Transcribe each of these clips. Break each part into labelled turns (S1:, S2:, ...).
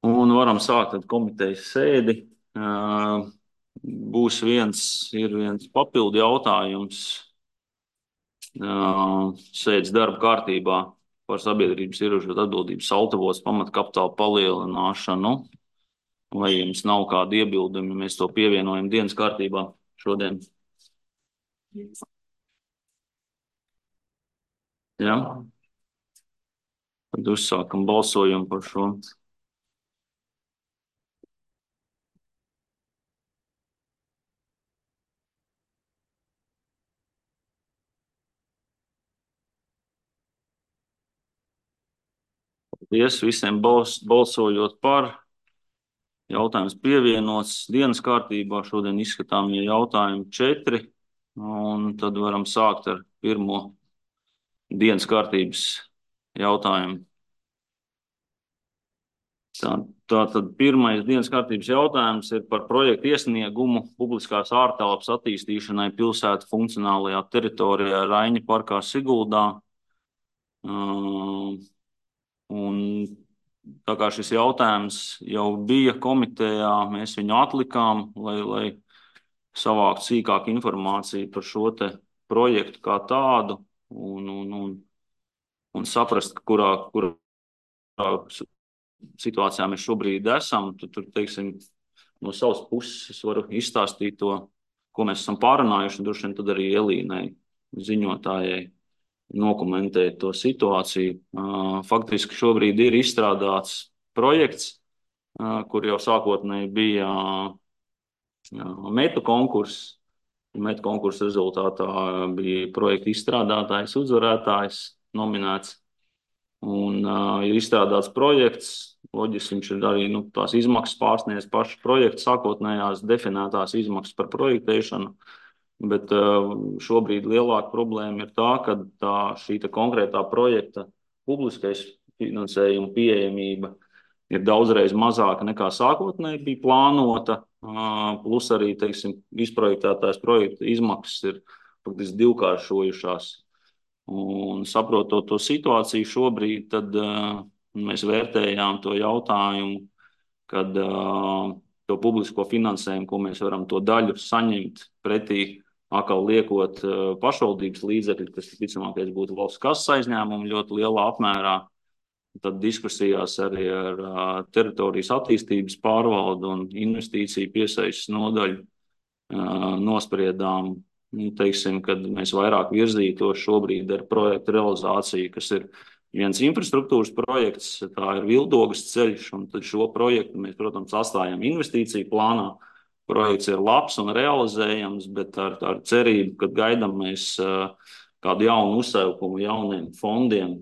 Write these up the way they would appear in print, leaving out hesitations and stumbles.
S1: Un varam sākt ar komitejas sēdi. Būs viens papildu jautājums sēdes darba kārtībā par sabiedrības ierobežotu atbildības altavos pamatkapitāla palielināšanu. Vai jums nav kādi iebildumi, mēs to pievienojam dienas kārtībā šodien? Jā. Tad uzsākam balsojumu par šo. Paldies visiem balsojot par. Jautājums pievienots dienas kārtībā. Šodien izskatāmie jautājumi 4. Un tad varam sākt ar pirmo dienas kārtības jautājumu. Tātad pirmais dienas kārtības jautājums ir par projektu iesniegumu publiskās ārtelpas attīstīšanai pilsētu funkcionālajā teritorijā Raiņa parkā Siguldā. Un tā kā šis jautājums jau bija komitejā, mēs viņu atlikām, lai savāktu sīkāku informāciju par šo te projektu kā tādu un saprast, kurā situācijā mēs šobrīd esam. Tur, teiksim, no savas puses es varu izstāstīt to, ko mēs esam pārunājuši, un droši vien tad arī Elīnai, ziņotājai, nokomentēt to situāciju. Faktiski šobrīd ir izstrādāts projekts, kur jau sākotnēji bija metu konkurss. Metu konkursa rezultātā bija projekta izstrādātājs, uzvarētājs nominēts. Un ir izstrādāts projekts. Loģiski viņš ir arī tās izmaksas pārsniedz pašu projektu sākotnējās definētās izmaksas par projektēšanu. Bet šobrīd lielāka problēma ir tā, ka šī konkrētā projekta publiskais finansējuma pieejamība ir daudzreiz mazāka nekā sākotnēji bija plānota. Plus arī, teiksim, izprojektētās projekta izmaksas ir faktiski divkāršojušās. Un saprotot to situāciju šobrīd, tad mēs vērtējām to jautājumu, kad to publisko finansējumu, ko mēs varam to daļu saņemt pretī, atkal liekot pašvaldības līdzekļi, kas ticamākais būtu valsts kases aizņēmumi ļoti lielā apmērā. Tad diskusijās arī ar teritorijas attīstības pārvaldu un investīciju piesaistes nodaļu nospriedām, teiksim, kad mēs vairāk virzītos šobrīd ar projektu realizāciju, kas ir viens infrastruktūras projekts, tā ir Vildogas ceļš, un tad šo projektu mēs, protams, atstājam investīciju plānā. Projekts ir labs un realizējams, bet ar cerību, ka gaidām mēs kādu jaunu uzsaukumu jauniem fondiem,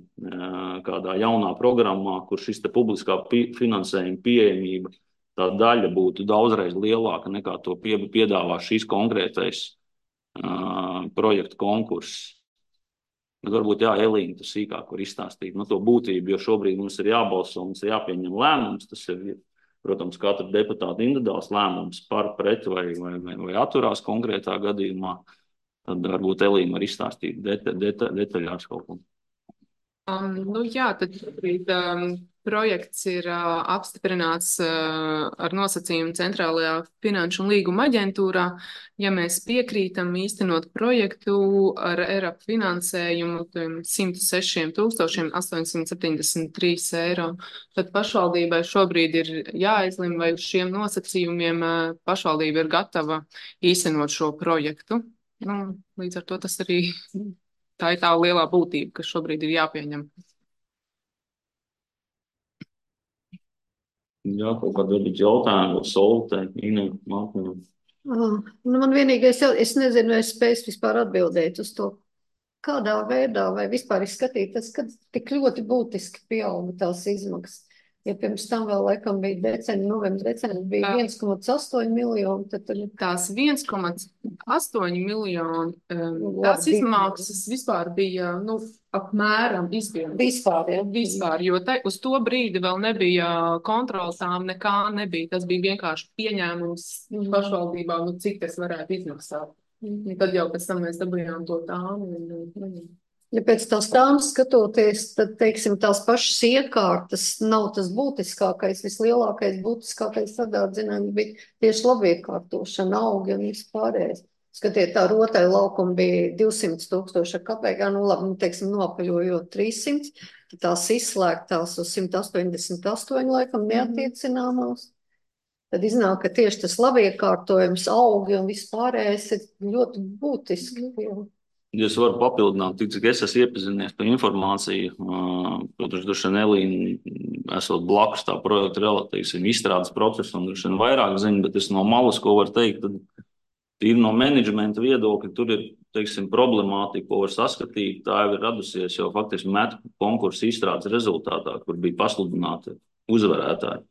S1: kādā jaunā programmā, kur šis te publiskā finansējuma pieejamība, tā daļa būtu daudzreiz lielāka nekā to piedāvā šīs konkrētais projektu konkurss. Bet varbūt Elīna tu sīkāk var izstāstīt to būtību, jo šobrīd mums ir jābalso, mums ir jāpieņem lēmums. Tas ir, protams, katra deputāta individuāls lēmums par, pret vai atturās konkrētā gadījumā. Tad varbūt Elīna var izstāstīt detaļās kaut ko.
S2: Tad projekts ir apstiprināts ar nosacījumu Centrālajā finanšu un līguma aģentūrā. Ja mēs piekrītam īstenot projektu ar ERAP finansējumu 106 873 eiro, tad pašvaldībai šobrīd ir jāizlem, vai uz šiem nosacījumiem pašvaldība ir gatava īstenot šo projektu. Līdz ar to tas arī tā ir tā lielā būtība, kas šobrīd ir jāpieņem.
S1: Jā, kaut kāda varbūt jautājuma, Soltē, Ina, Mākņa.
S3: Man vienīgais, es nezinu, vai es spēju vispār atbildēt uz to, kādā veidā vai vispār izskatīt tas, kad tik ļoti būtiski pieauga tās izmaksas. Ja pirms tam vēl laikam bija novembris, bija 1,8 miljoni, tad
S2: tās 1,8 miljoni, tās izmaksas vispār bija, apmēram izpildītas.
S3: Vispār, ja?
S2: Vispār, jo uz to brīdi vēl nebija kontroltām, nekā nebija. Tas bija vienkārši pieņēmums pašvaldībā, cik tas varētu izmaksāt. Tad jau pēc tam mēs dabījām to tāmu.
S3: Ja pēc tās stāvas skatoties, tad, teiksim, tās pašas iekārtas nav tas būtiskākais, vislielākais būtiskākais tādā dzinājumā bija tieši labiekārtošana, augi un vispārējais. Skatiet, tā rotai laukuma bija 200 000 kapekā, nu labi, nu, teiksim, nopaļojot 300, tad tās izslēgtās uz 188 laikam neatiecināmās. Tad iznāk, ka tieši tas labiekārtojums, augi un vispārējais ir ļoti būtiski.
S1: Ja es varu papildināt, cik es esmu iepazinies par informāciju, protams, droši vien Elīna esot blakus tā projekta relatīvi izstrādes procesu un droši vien vairāk zina, bet es no malas, ko var teikt, tad tīri no menedžmenta viedokļa, tur ir, teiksim, problemātika, ko var saskatīt, tā jau ir radusies jau faktiski metu konkursu izstrādes rezultātā, kur bija pasludināti uzvarētāji.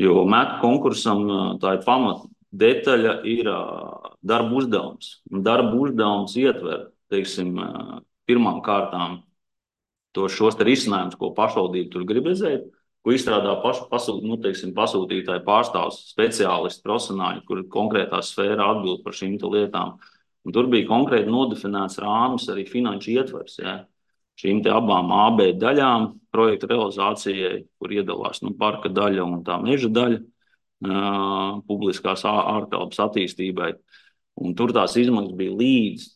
S1: Jo metu konkursam tā ir pamata detaļa ir darba uzdevums. Un darba uzdevums ietver, teiksim, pirmām kārtām šos risinājumus, ko pašvaldība tur grib redzēt, ko izstrādā pasūtītāji pārstāvs, speciālisti, profesionāļi, kuri konkrētā sfērā atbild par šīm lietām. Un tur bija konkrēti nodefinēts rāmis arī finanšu ietvers. Ja? Šīm abām AB daļām projekta realizācijai, kur iedalās parka daļa un tā meža daļa, publiskās ārtelpas attīstībai. Un tur tās izmaksas bija līdz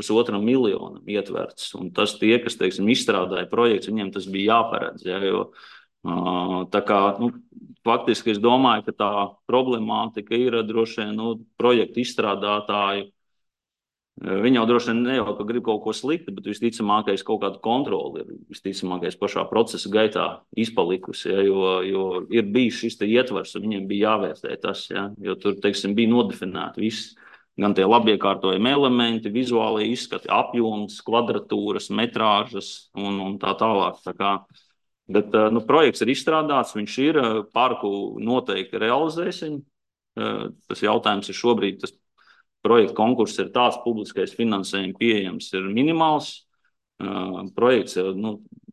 S1: 1,5 miljonam ietverts. Un tas tie, kas, teiksim, izstrādāja projekts, viņiem tas bija jāparedz. Ja, jo, tā kā, faktiski es domāju, ka tā problemātika ir droši vien projektu izstrādātāju. Viņi jau droši vien ne jau ka grib kaut ko sliktu, bet visticamākais kaut kādu kontroli ir visticamākais pašā procesa gaitā izpalikusi, ja, jo ir bijis šis ietvers, un viņiem bija jāvērtē tas, ja, jo tur, teiksim, bija nodefinēti viss, gan tie labiekārtojumi elementi, vizuālie izskati, apjoms, kvadratūras, metrāžas un tā tālāk. Tā kā, bet projekts ir izstrādāts, viņš ir, parku noteikti realizēsim. Tas jautājums ir šobrīd, tas projekta konkurss ir tāds, publiskais finansējums pieejams ir minimāls. Projekts ir,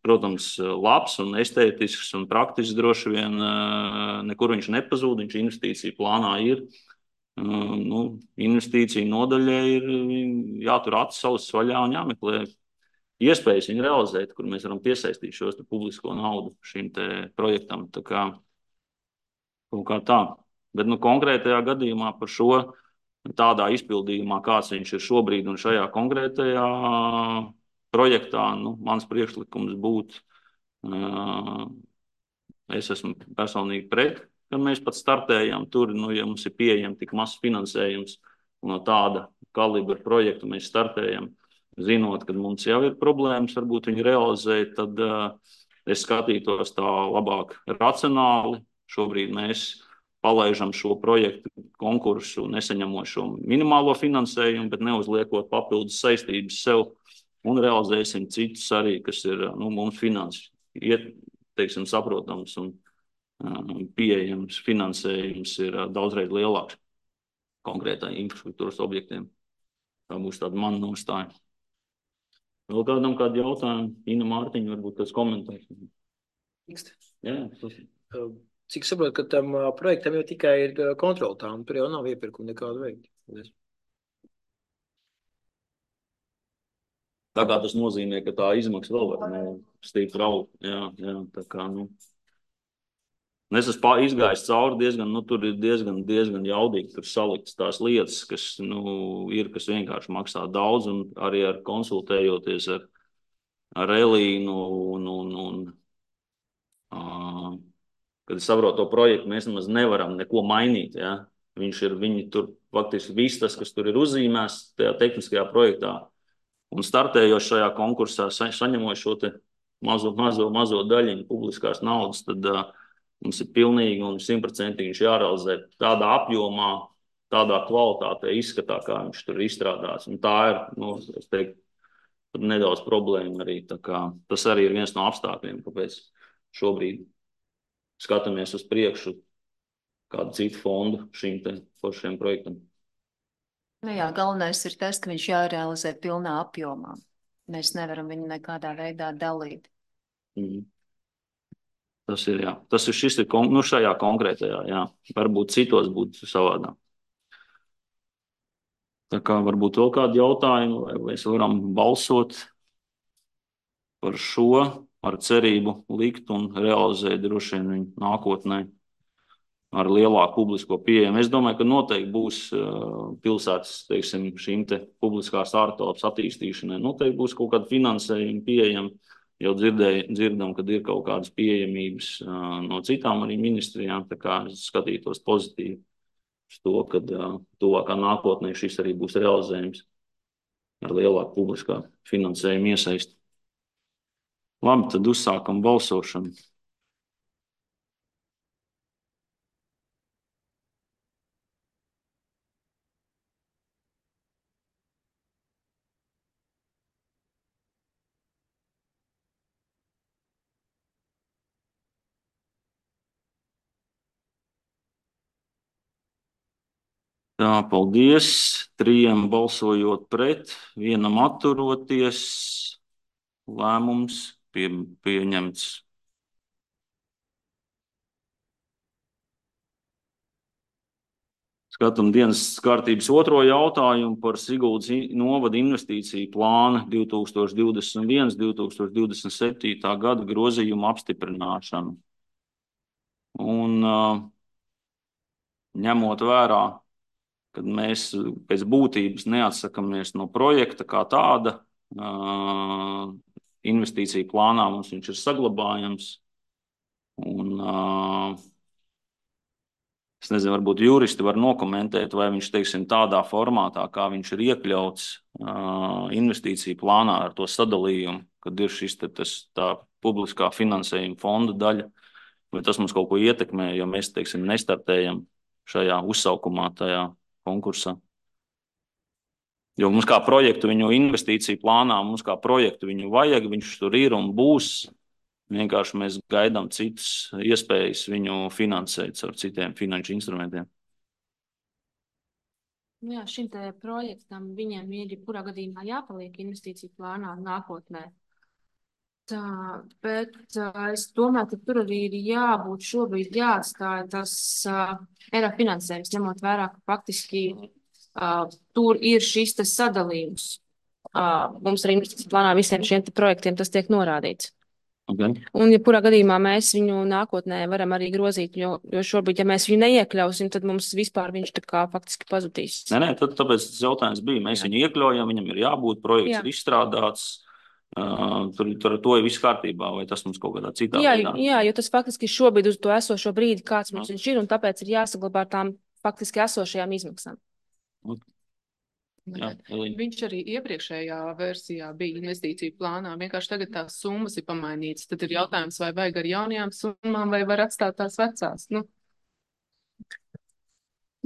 S1: protams, labs un estētisks un praktisks droši vien. Nekur viņš nepazūd, viņš investīciju plānā ir. Investīciju nodaļai ir jātur acis ausis vaļā un jāmeklē iespējas viņu realizēt, kur mēs varam piesaistīt šos publisko naudu šim te projektam. Tā kā kaut kā tā. Bet konkrētajā gadījumā par šo tādā izpildījumā, kāds viņš ir šobrīd un šajā konkrētajā projektā, mans priekšlikums būtu, es esmu personīgi pret, kad mēs pat startējam tur, ja mums ir pieejami tik mazs finansējums un no tāda kalibra projektu mēs startējam, zinot, ka mums jau ir problēmas, varbūt viņu realizēt, tad es skatītos tā labāk racionāli. Šobrīd mēs palaižam šo projektu konkursu, nesaņemot šo minimālo finansējumu, bet neuzliekot papildus saistības sev un realizēsim citus arī, kas ir mums finansi, teiksim, saprotams un pieejams finansējums ir daudzreiz lielāks konkrētai infrastruktūras objektiem. Tā būs tāda mana nostāja. Vēl kādam kādu jautājumu? Ina Mārtiņa, varbūt kāds komentārs. Jā, tas ir.
S4: Cik saprotu, ka tam projektam jau tikai ir kontroltām, tur jau nav iepirkuma nekādu veidu.
S1: Tā kā tas nozīmē, ka tā izmaksa vēl var stipri augt. Jā, tā kā, es esmu izgājis cauri diezgan, tur ir diezgan jaudīgi tur saliktas tās lietas, kas, kas vienkārši maksā daudz, un arī ar konsultējoties ar Elīnu kad es saprotu to projektu, mēs nemaz nevaram neko mainīt. Ja? Viņi tur faktiski viss tas, kas tur ir uzzīmēts tajā tehniskajā projektā un startējot šajā konkursā, saņemot šo te mazo daļiņu publiskās naudas, tad mums ir pilnīgi un 100% jārealizē tādā apjomā, tādā kvalitātē izskatā, kā viņš tur izstrādās. Un tā ir, es teiktu, nedaudz problēma arī. Tā kā, tas arī ir viens no apstākļiem, kāpēc šobrīd skatāmies uz priekšu kādu citu fondu šiem projektam.
S5: Jā, galvenais ir tas, ka viņš jārealizē pilnā apjomā. Mēs nevaram viņu nekādā veidā dalīt.
S1: Tas ir, jā. Šis ir šajā konkrētajā, jā. Varbūt citos būtu savādāk. Tā kā varbūt vēl kādi jautājumi, vai mēs varam balsot. par šo ar cerību likt un realizēt droši vien viņu nākotnē ar lielāku publisko pieejamu. Es domāju, ka noteikti būs pilsētas, teiksim, šīm te publiskās ārtelpas attīstīšanai. Noteikti būs kaut kāda finansējuma pieejama. Jau dzirdam, kad ir kaut kādas pieejamības no citām arī ministrijām, tā kā es skatītos pozitīvi uz to, ka tuvākā nākotnē šis arī būs realizējums ar lielāku publiskā finansējuma iesaisti. Labi, tad uzsākam balsošanu. Tā, paldies. 3 balsojot pret, 1 atturoties. Lēmums pieņemts. Skatām dienas kārtības 2. jautājumu par Siguldas novada investīciju plāna 2021–2027. gada grozījumu apstiprināšanu. Un ņemot vērā, kad mēs pēc būtības neatsakamies no projekta kā tāda, investīciju plānā mums viņš ir saglabājams. Un es nezinu, varbūt juristi var nokomentēt, vai viņš, teiksim, tādā formātā, kā viņš ir iekļauts investīciju plānā ar to sadalījumu, kad ir šis tā publiskā finansējuma fonda daļa, vai tas mums kaut ko ietekmē, jo mēs, teiksim, nestartējam šajā uzsaukumā, tajā konkursā. Jo mums kā projektu viņu investīciju plānā, mums kā projektu viņu vajag, viņš tur ir un būs. Vienkārši mēs gaidām citas iespējas viņu finansēt ar citiem finanšu instrumentiem.
S6: Jā, šim te projektam viņiem ir jebkurā gadījumā jāpaliek investīciju plānā nākotnē. Tā, bet es domāju, ka tur arī ir jābūt šobrīd jāatstāja tas ERA finansējums, ņemot vērā, ka faktiski tur ir šis tas sadalījums. Mums arī investīciju plānā visiem šiem te projektiem tas tiek norādīts.
S1: Okay.
S6: Un, ja kurā gadījumā mēs viņu nākotnē varam arī grozīt, jo šobrīd, ja mēs viņu neiekļausim, tad mums vispār viņš tā kā faktiski pazudīs.
S1: Nē, tāpēc tas jautājums bija. Mēs viņu iekļaujam, viņam ir jābūt, projekts ir izstrādāts, tur to ir viss kārtībā, vai tas mums kaut kādā citā veidā?
S6: Jā, jo tas faktiski šobrīd uz to esošo brīdi, kāds mums viņš ir, un tāpēc ir jāsaglabā tām faktiski esošajām izmaksām.
S1: Jā,
S2: viņš arī iepriekšējā versijā bija investīciju plānā. Vienkārši tagad tās summas ir pamainītas. Tad ir jautājums, vai vajag ar jaunajām summām, vai var atstāt tās vecās.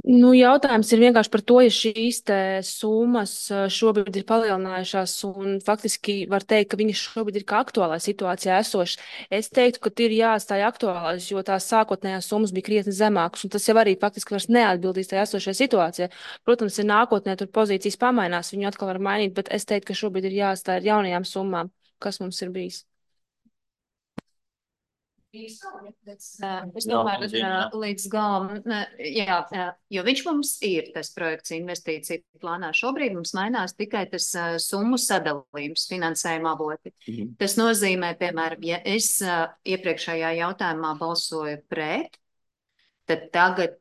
S6: Jautājums ir vienkārši par to, ja šīs te summas šobrīd ir palielinājušās un faktiski var teikt, ka viņas šobrīd ir kā aktuālā situācijā esošas. Es teiktu, ka ir jāatstāj aktuālās, jo tās sākotnējās summas bija krietni zemākas, un tas jau arī faktiski vairs neatbildīs tajā esošajā situācijā. Protams, ja nākotnē tur pozīcijas pamainās, viņu atkal var mainīt, bet es teiktu, ka šobrīd ir jāatstāj ar jaunajām summām, kas mums ir bijis.
S5: Es domāju, ka līdz galam, jo viņš mums ir tas projekts investīciju plānā. Šobrīd mums mainās tikai tas summu sadalījums finansējuma avoti. Tas nozīmē, piemēram, ja es iepriekšējā jautājumā balsoju pret, tad tagad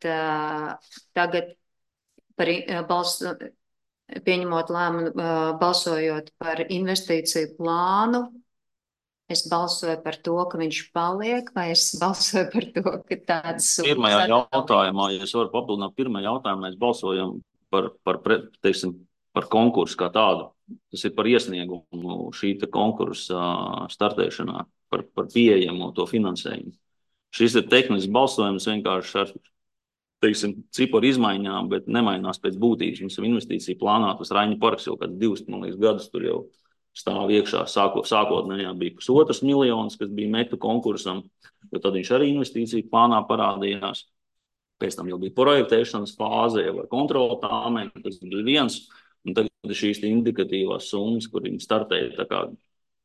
S5: pieņemot lēmumu, balsojot par investīciju plānu, es balsoju par to, ka viņš paliek, vai es balsoju par to, ka tāds...
S1: Pirmajā jautājumā, ja es varu papildināt, pirmajā jautājumā mēs balsojam par konkursu kā tādu. Tas ir par iesniegumu šī konkursa startēšanā, par pieejamo to finansējumu. Šis ir tehnisks balsojums vienkārši ar, ciparu izmaiņām, bet nemainās pēc būtības. Mums ir investīcija plānā, tas Raņa parks jau kāds 2 gadus tur jau stāv iekšā. Sākotnējā bija 1,5 miljonus, kas bija metu konkursam, jo tad viņš arī investīciju plānā parādījās. Pēc tam jau bija projektēšanas fāze, jau ar kontrolu tāmēm, tas bija viens, un tagad šīs indikatīvās summas, kur viņi startēja tā kā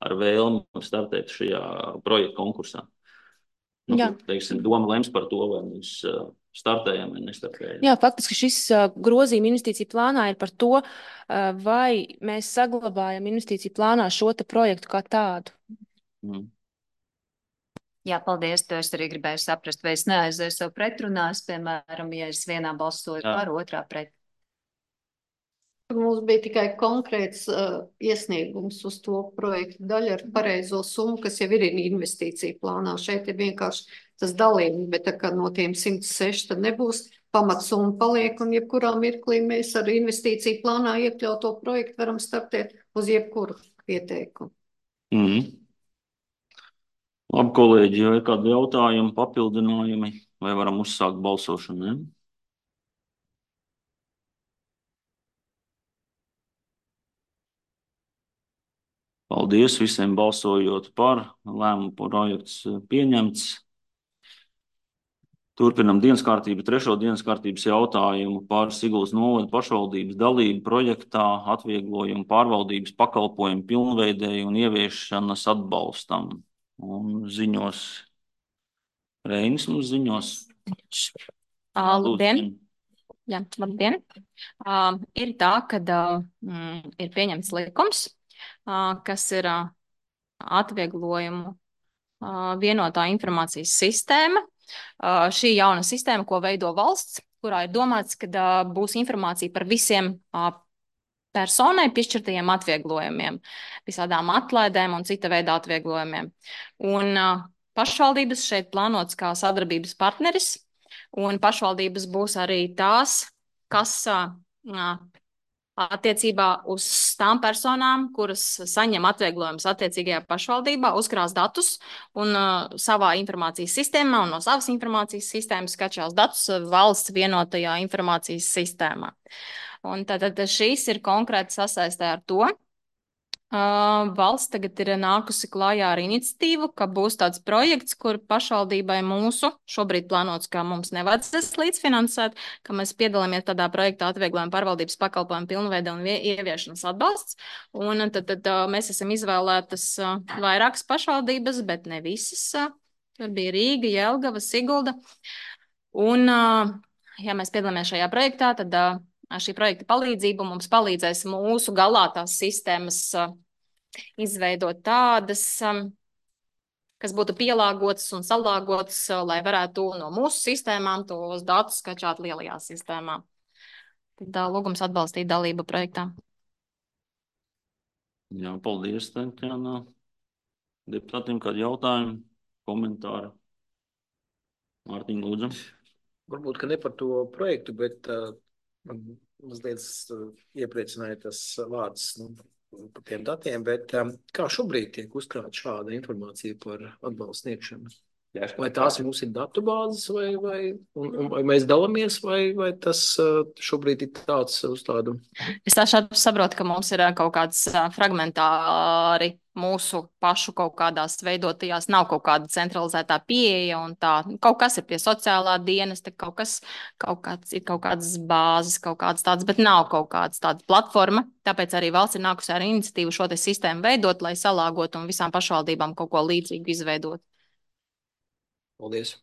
S1: ar vēlmu startēt šajā projekta konkursā. Doma lems par to, vai mēs startējam vai nestartējam.
S6: Jā, faktiski šis grozījuma investīcija plānā ir par to, vai mēs saglabājam investīciju plānā šo te projektu kā tādu.
S5: Jā, paldies. To es arī gribēju saprast, vai es neaizēju sev pretrunās, piemēram, ja es vienā balsoju par, otrā pret.
S3: Mums bija tikai konkrēts iesniegums uz to projektu daļu ar pareizo summu, kas jau ir investīcija plānā. Šeit ir vienkārši tas dalījums, bet tā kā no tiem 106 tad nebūs, pamatsumma paliek, un jebkurā mirklī mēs ar investīciju plānā iekļauto projektu varam startēt uz jebkuru pieteikumu.
S1: Labi, kolēģi, vai ir kādi jautājumi, papildinājumi, vai varam uzsākt balsošanu, ne? Paldies visiem balsojot par, lēmumu projekts pieņemts. Turpinam dienas kārtību, trešo dienas kārtības jautājumu par Siguldas novada pašvaldības dalību projektā atvieglojumu pārvaldības pakalpojumu pilnveidēju un ieviešanas atbalstam. Un ziņos, Reinis mums ziņos.
S7: Labdien! Jā, labdien! Ir tā, kad ir pieņemts likums, kas ir atvieglojumu vienotā informācijas sistēma. Šī jauna sistēma, ko veido valsts, kurā ir domāts, ka būs informācija par visiem personai piešķirtajiem atvieglojumiem, visādām atlaidēm un cita veida atvieglojumiem. Un pašvaldības šeit plānots kā sadarbības partneris, un pašvaldības būs arī tās, kas attiecībā uz tām personām, kuras saņem atvieglojumus attiecīgajā pašvaldībā, uzkrās datus un savā informācijas sistēmā un no savas informācijas sistēmas skatšās datus valsts vienotajā informācijas sistēmā. Un tātad šīs ir konkrēti sasaistē ar to. Valsts tagad ir nākusi klājā ar iniciatīvu, ka būs tāds projekts, kur pašvaldībai mūsu šobrīd plānots, ka mums nevajadzēs līdzfinansēt, ka mēs piedalāmies tādā projektā atvieglojuma pārvaldības pakalpojumu pilnveida un ieviešanas atbalsts. Un tad mēs esam izvēlētas vairākas pašvaldības, bet ne visas. Tur bija Rīga, Jelgava, Sigulda. Un, ja mēs piedalāmies šajā projektā, tad šī projekta palīdzība mums palīdzēs mūsu galā tās sistēmas izveidot tādas, kas būtu pielāgotas un salāgotas, lai varētu no mūsu sistēmām tos datus skačāt lielajā sistēmā. Tad lūgums atbalstīt dalību projektā.
S1: Jā, paldies, Tatjana. Deputātiem kādi jautājumi, komentāri? Mārtiņ, lūdzu.
S4: Varbūt, ka ne par to projektu, bet man mazliet iepriecināja tas vārds par tiem datiem, bet kā šobrīd tiek uzkrāta šāda informācija par atbalstu sniegšanu? Vai tās mums ir datubāzes, vai mēs dalāmies, vai tas šobrīd ir tāds uz tādu?
S7: Es tā saprotu, ka mums ir kaut kāds fragmentāri mūsu pašu kaut kādās veidotajās, nav kaut kāda centralizētā pieeja un tā. Kaut kas ir pie sociālā dienesta, kaut kādas bāzes, kaut kādas tādas, bet nav kaut kādas tāda platforma. Tāpēc arī valsts ir nākusi ar iniciatīvu šo te sistēmu veidot, lai salāgotu un visām pašvaldībām kaut ko līdzīgu izveidot.
S4: Paldies.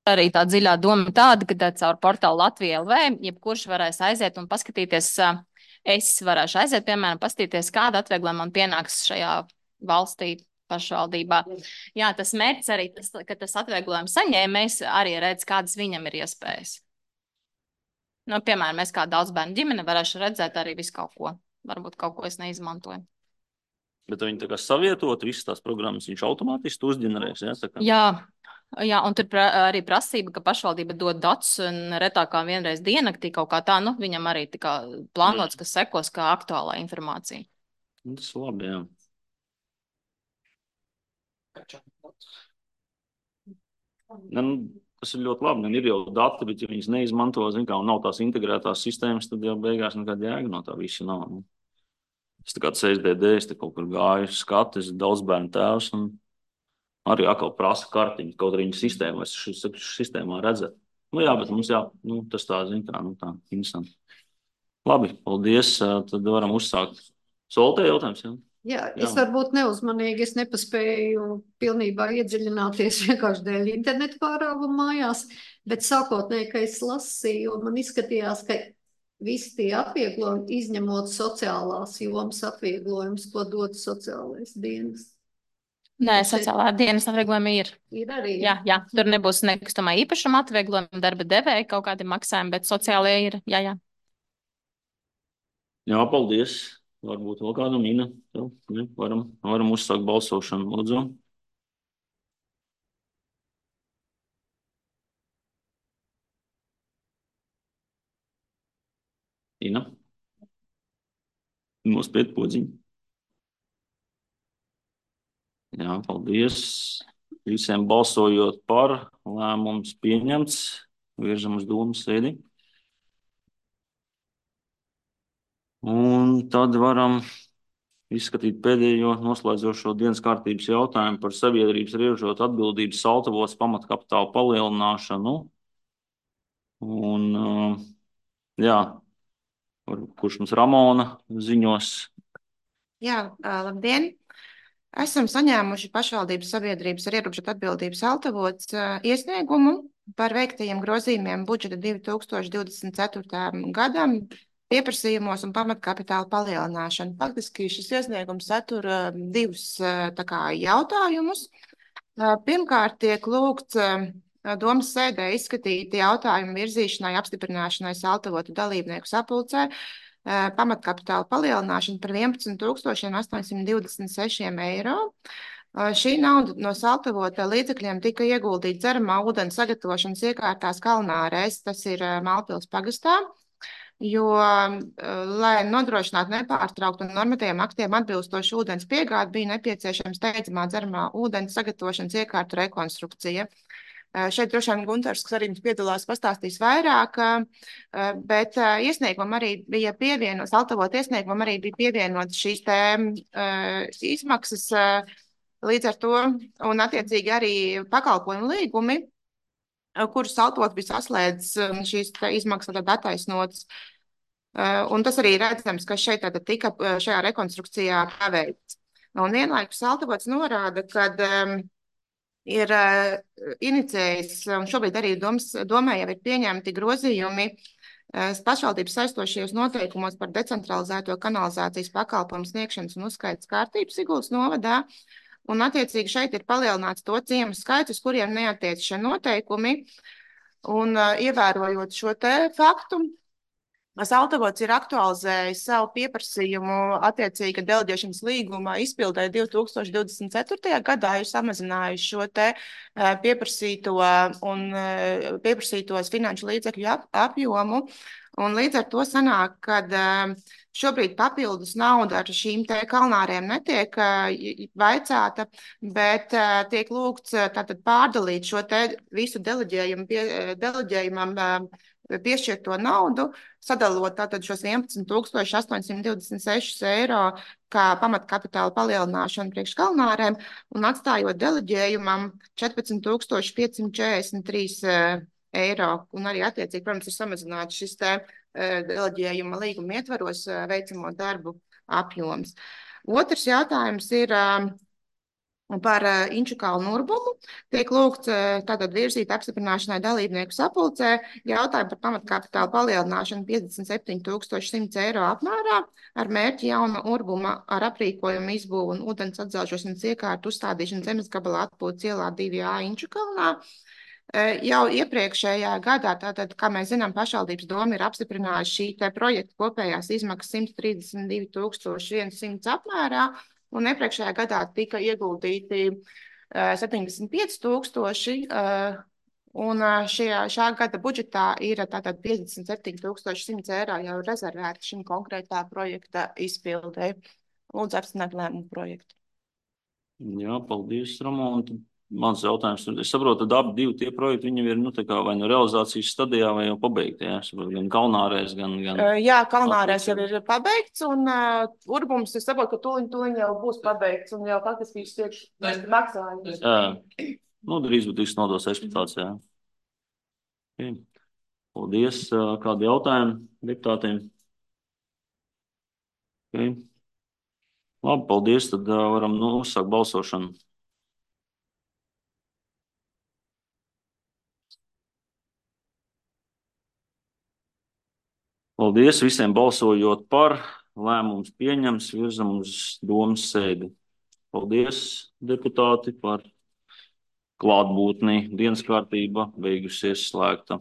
S7: Arī tā dziļā doma tāda, ka caur portālu Latvija LV jebkurš varēs aiziet un paskatīties, es varēšu aiziet, piemēram, paskatīties, kāda atvieglojuma man pienāks šajā valstī pašvaldībā. Jā, tas mērķis arī, ka tas atvieglojums saņēmējs arī redz, kādas viņam ir iespējas. Nu, piemēram, es kā daudzbērnu ģimene varēšu redzēt arī visu kaut ko. Varbūt kaut ko es neizmantoju.
S1: Bet viņi tā kā savietot, visas tās programmas viņš automātiski uzģenerēs, ja?
S7: Jā, un tur arī prasība, ka pašvaldība dod datus retākā vienreiz diennaktī kaut kā tā, nu, viņam arī tā kā plānots, kas sekos kā aktuālā informācija.
S1: Tas labi, jā. Tas ir ļoti labi, ir jau dati, bet ja viņas neizmanto, zin kā, un nav tās integrētās sistēmas, tad jau beigās nekāda jēga no tā visa nav. Es tā kā CSDD, es te kaut kur gāju skatis, daudz bērnu tēvs, un arī atkal prasa kartiņu, kaut arī viņa sistēma, vai šis sistēmā redzēt. Nu jā, bet mums tas tā, zin kā, tā, interesanti. Labi, paldies, tad varam uzsākt. Soltē jautājums, jā?
S3: Jā, es varbūt neuzmanīgi, es nepaspēju pilnībā iedziļināties vienkārši dēļ internetu pārāvuma mājās, bet sākotnēji, ka es lasīju, man izskatījās, ka visi tie atvieglojumi, izņemot sociālās jomas atvieglojumus, ko dod sociālais dienas.
S7: Nē, sociālā dienas atvieglojumi ir.
S3: Ir arī.
S7: Jā, tur nebūs nekustamā īpašuma atvieglojumi, darba devēja kaut kādi maksājumi, bet sociālie ir, jā.
S1: Jā, paldies. Varbūt vēl kādu Ina. Varam uzsākt balsošanu, lūdzu. Ina. Nospied podziņu. Jā, paldies. Visiem balsojot par, lēmums pieņemts. Virzam uz domu sēdi. Un tad varam izskatīt pēdējo noslēdzošo dienas kārtības jautājumu par sabiedrības ierobežotu atbildības saltavos pamatkapitāla palielināšanu. Un, kurš mums Ramona ziņos?
S8: Jā, labdien! Esam saņēmuši pašvaldības sabiedrības ar ierobežotu atbildības saltavots iesniegumu par veiktajiem grozījumiem budžeta 2024. gadam, pieprasījumos un pamatkapitāla palielināšanu. Faktiski šis iesniegums satura divus jautājumus. Pirmkārt, tiek lūgts domas sēdē izskatīt jautājumu virzīšanai, apstiprināšanai saltavotu dalībnieku sapulcē pamatkapitāla palielināšanu par 11,826 eiro. Šī nauda no saltavota līdzekļiem tika ieguldīta dzeramā ūdens sagatavošanas iekārtās Kalnārēs, tas ir Malpils pagastā. Jo, lai nodrošinātu nepārtrauktu un normatīviem aktiem atbilstošu ūdens piegādi, bija nepieciešama steidzamā dzeramā ūdens sagatavošanas iekārtu rekonstrukcija. Šeit droši vien Guntars, kas arī mums piedalās, pastāstīs vairāk, bet iesniegumam arī bija pievienots, saltavot iesniegumam arī bija pievienots šīs izmaksas līdz ar to, un attiecīgi arī pakalpojumu līgumi, kurus saltot bija saslēdzis šīs izmaksas tad attaisnotas. Un tas arī redzams, ka šeit tātad tika šajā rekonstrukcijā paveikts. Un vienlaikus saltavots norāda, kad ir inicējis, un šobrīd arī domē jau ir pieņemti grozījumi pašvaldības saistošajos noteikumos par decentralizēto kanalizācijas pakalpojumu sniegšanas un uzskaitas kārtību Siguldas novadā. Un attiecīgi šeit ir palielināts to ciemu skaits, uz kuriem neatiec šie noteikumi. Un ievērojot šo te faktu, saltavots ir aktualizējis savu pieprasījumu attiecīgi deleģēšanas līguma izpildē 2024. gadā, ir samazinājuši šo te pieprasītos finanšu līdzekļu apjomu. Un līdz ar to sanāk, kad šobrīd papildus nauda ar šīm te Kalnārēm netiek vaicāta, bet tiek lūgts tātad pārdalīt šo te visu deleģējumam piešķirto naudu, sadalot tātad šos 11,826 eiro kā pamatkapitāla palielināšanu priekš Kalnārēm un atstājot deleģējumam 14,543 eiro. Un arī attiecīgi, protams, ir samazināts šis te deleģējuma līguma ietvaros veicamo darbu apjoms. Otrs jautājums ir par Inču kalnu urbumu. Tiek lūgts tātad virzīt apstiprināšanai dalībnieku sapulcē jautājumu par pamatkapitāla palielināšanu 57,100 eiro apmērā ar mērķi jauna urbuma ar aprīkojumu izbūvu un ūdens atzelžošanas iekārtu uzstādīšanu zemes gabalā atpūtas ielā 2A Inču kalnā. Jau iepriekšējā gadā, tātad, kā mēs zinām, pašvaldības doma ir apstiprinājusi šī te projekta kopējās izmaksas 132,100 apmērā, un iepriekšējā gadā tika ieguldīti 75,000, un šā gada budžetā ir tātad 57,100 eiro jau rezervēti šim konkrētā projekta izpildē. Lūdzu apstiprināt lēmumu projektu.
S1: Jā, paldies, Ramona. Mans jautājums, es saprotu, tad abi divi tie projekti, viņi ir vai nu realizācijas stadijā, vai jau pabeigti, jā? Gan Kalnārēs, gan...
S8: Jā, Kalnārēs jau ir pabeigts, un urbums, es saprotu, ka tuliņ jau būs pabeigts, un jau faktiski tiek maksājums.
S1: Jā, drīz būtu tiks nodos eksploatācijā. Okay. Paldies. Kādi jautājumi deputātiem? Okay. Labi, paldies. Tad varam uzsākt balsošanu. Paldies visiem balsojot par. Lēmums pieņems, virzam uz domas sēdi. Paldies, deputāti, par klātbūtni. Dienas kārtība beigusies slēgta.